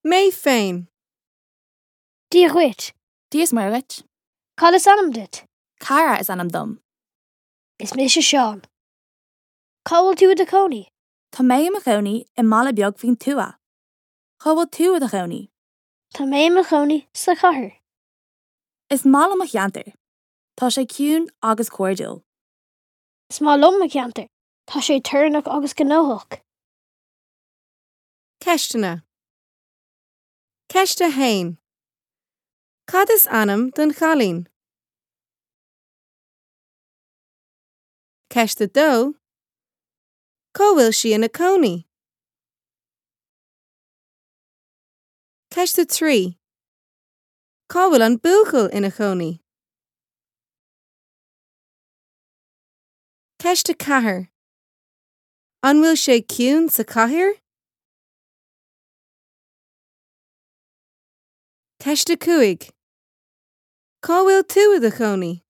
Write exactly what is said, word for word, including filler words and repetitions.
Mé féin. Dia dhuit. Dia is Muire dhuit. Cad is ainm duit? Cara is ainm dom. Is mise Seán. Cá bhfuil tú i do chónaí? Tá mé i mo chónaí i mbaile beag faoin tuath. Cá bhfuil tú i do chónaí? Tá mé i mo chónaí sa chathair. Is maith liom mo cheantar. Tá sé ciúin agus cairdiúil. Is maith liom mo cheantar. Tá sé torannach agus gnóthach. Ceisteanna. Ceist a haon. Cad is ainm don chailín? Ceist a dó. Cá bhfuil sí ina cónaí? Ceist a trí. Cá bhfuil an buachaill ina chónaí? Ceist a ceathair. An bhfuil sé ciúin sa chathair? Ceist a cúig. Cá bhfuil tú i do chónaí?